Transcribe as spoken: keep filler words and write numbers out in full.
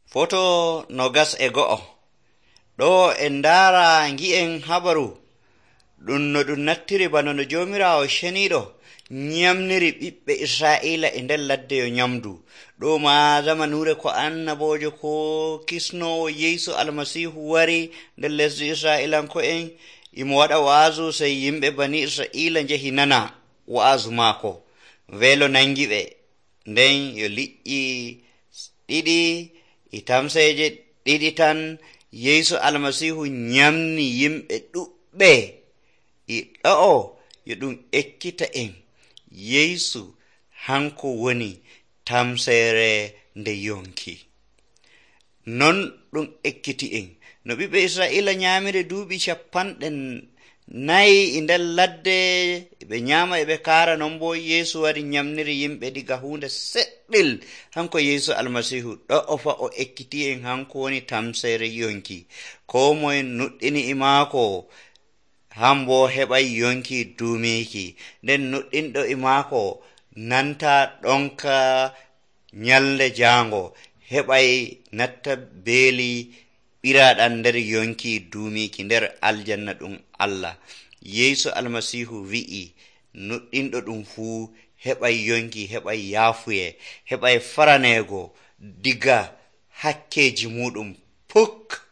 Foto nogas e go'o. Ɗo en ndaara ngi'en habaru ɗum no ɗum nattiri bano no Joomiraawo ceniiɗo nyamniri ɓiɓɓe Israa'iila e nder ladde yo nyamdu. Ɗo ma zamanuure ko annaboojo ko kisnoowo Yeesu Almasiihu wari nder lesdi Israa'iilanko'en imo waɗa wa'azu sey yimɓe bani Israa'iila njehi nana wa'azu maako. Weelo nangi ɓe, nden yo liƴƴi ɗiɗi e tamseeje ɗiɗi tan Yeesu Almasiihu nyamni yimɓe ɗuɓɓe. E ɗo'o yo ɗum ekkita en Yeesu hanko woni tamseere nde yonki. Non ɗum ekkiti en no ɓiɓɓe Israa'iila nyaamiri duuɓi cappanɗe nayi e nder ladde ɓe nyaama e ɓe kaara. Non bo Yeesu wari nyamniri yimɓe diga huunde seɗɗel. Hanko Yeesu Almasiihu ɗo'o fa o ekkiti en hanko woni tamseere yonki. Koo moye nuɗɗini e maako hambo heɓay yonki duumiiki. Nden nuɗɗinɗo e maako nanta ɗonka nyalde jaango heɓay natta beeli ɓiraaɗam nder yonki duumiiki nder aljanna ɗum Allah. Yeesu Almasiihu wi'i nuɗɗinɗo ɗum fuu heɓay yonki, heɓay yaafuye, heɓay faraneego diga hakkeeji muɗum puk.